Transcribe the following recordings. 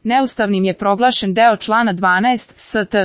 Neustavnim je proglašen deo člana 12 St.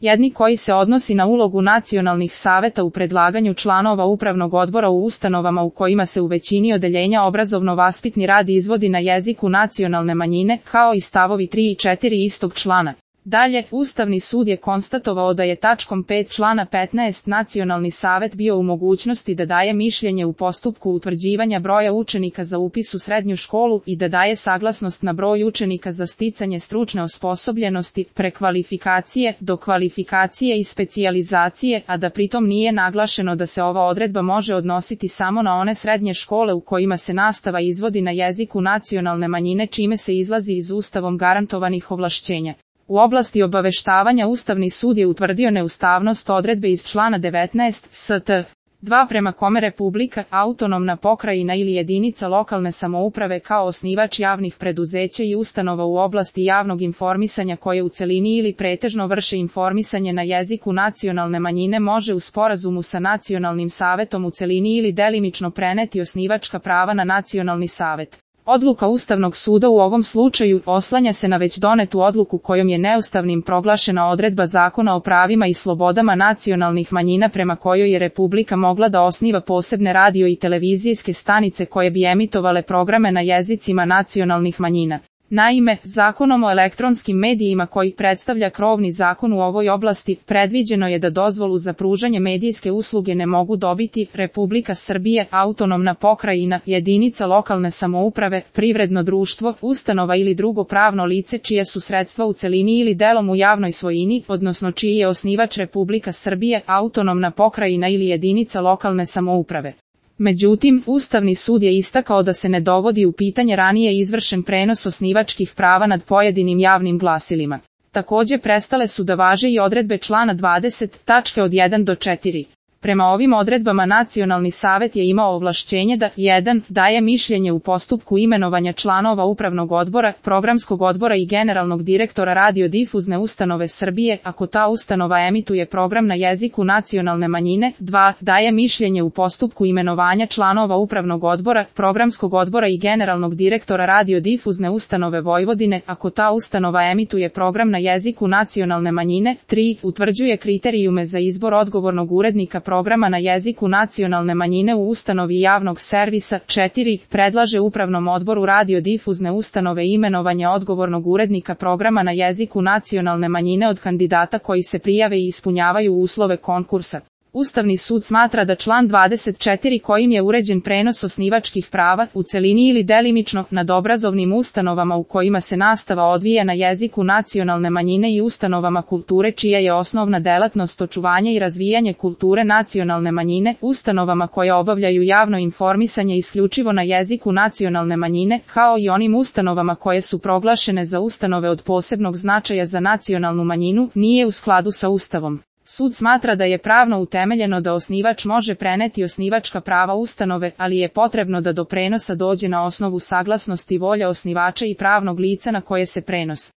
1 koji se odnosi na ulogu nacionalnih saveta u predlaganju članova upravnog odbora u ustanovama u kojima se u većini odeljenja obrazovno-vaspitni rad izvodi na jeziku nacionalne manjine, kao i stavovi 3 i 4 istog člana. Dalje, Ustavni sud je konstatovao da je tačkom 5 člana 15 Nacionalni savet bio u mogućnosti da daje mišljenje u postupku utvrđivanja broja učenika za upis u srednju školu i da daje saglasnost na broj učenika za sticanje stručne osposobljenosti, prekvalifikacije, dokvalifikacije i specijalizacije, a da pritom nije naglašeno da se ova odredba može odnositi samo na one srednje škole u kojima se nastava izvodi na jeziku nacionalne manjine, čime se izlazi iz Ustavom garantovanih ovlašćenja. U oblasti obaveštavanja Ustavni sud je utvrdio neustavnost odredbe iz člana 19 St. 2 prema kome Republika, autonomna pokrajina ili jedinica lokalne samouprave kao osnivač javnih preduzeća i ustanova u oblasti javnog informisanja koje u celini ili pretežno vrše informisanje na jeziku nacionalne manjine može u sporazumu sa Nacionalnim savetom u celini ili delimično preneti osnivačka prava na Nacionalni savet. Odluka Ustavnog suda u ovom slučaju oslanja se na već donetu odluku kojom je neustavnim proglašena odredba Zakona o pravima i slobodama nacionalnih manjina prema kojoj je Republika mogla da osniva posebne radio i televizijske stanice koje bi emitovale programe na jezicima nacionalnih manjina. Naime, Zakonom o elektronskim medijima koji predstavlja krovni zakon u ovoj oblasti, predviđeno je da dozvolu za pružanje medijske usluge ne mogu dobiti Republika Srbije, autonomna pokrajina, jedinica lokalne samouprave, privredno društvo, ustanova ili drugo pravno lice čija su sredstva u celini ili delom u javnoj svojini, odnosno čiji je osnivač Republika Srbije, autonomna pokrajina ili jedinica lokalne samouprave. Međutim, Ustavni sud je istakao da se ne dovodi u pitanje ranije izvršen prenos osnivačkih prava nad pojedinim javnim glasilima. Takođe prestale su da važe i odredbe člana 20, tačke od 1 do 4. Prema ovim odredbama Nacionalni savet je imao ovlašćenje da 1. daje mišljenje u postupku imenovanja članova upravnog odbora, programskog odbora i generalnog direktora radiodifuzne ustanove Srbije, ako ta ustanova emituje program na jeziku nacionalne manjine, 2. daje mišljenje u postupku imenovanja članova upravnog odbora, programskog odbora i generalnog direktora radiodifuzne ustanove Vojvodine, ako ta ustanova emituje program na jeziku nacionalne manjine, 3. utvrđuje kriterijume za izbor odgovornog urednika programa na jeziku nacionalne manjine u ustanovi javnog servisa, 4. predlaže upravnom odboru radiodifuzne ustanove imenovanje odgovornog urednika programa na jeziku nacionalne manjine od kandidata koji se prijave i ispunjavaju uslove konkursa. Ustavni sud smatra da član 24 kojim je uređen prenos osnivačkih prava, u celini ili delimično, nad obrazovnim ustanovama u kojima se nastava odvija na jeziku nacionalne manjine i ustanovama kulture čija je osnovna delatnost očuvanje i razvijanje kulture nacionalne manjine, ustanovama koje obavljaju javno informisanje isključivo na jeziku nacionalne manjine, kao i onim ustanovama koje su proglašene za ustanove od posebnog značaja za nacionalnu manjinu, nije u skladu sa Ustavom. Sud smatra da je pravno utemeljeno da osnivač može preneti osnivačka prava ustanove, ali je potrebno da do prenosa dođe na osnovu saglasnosti volje osnivača i pravnog lica na koje se prenos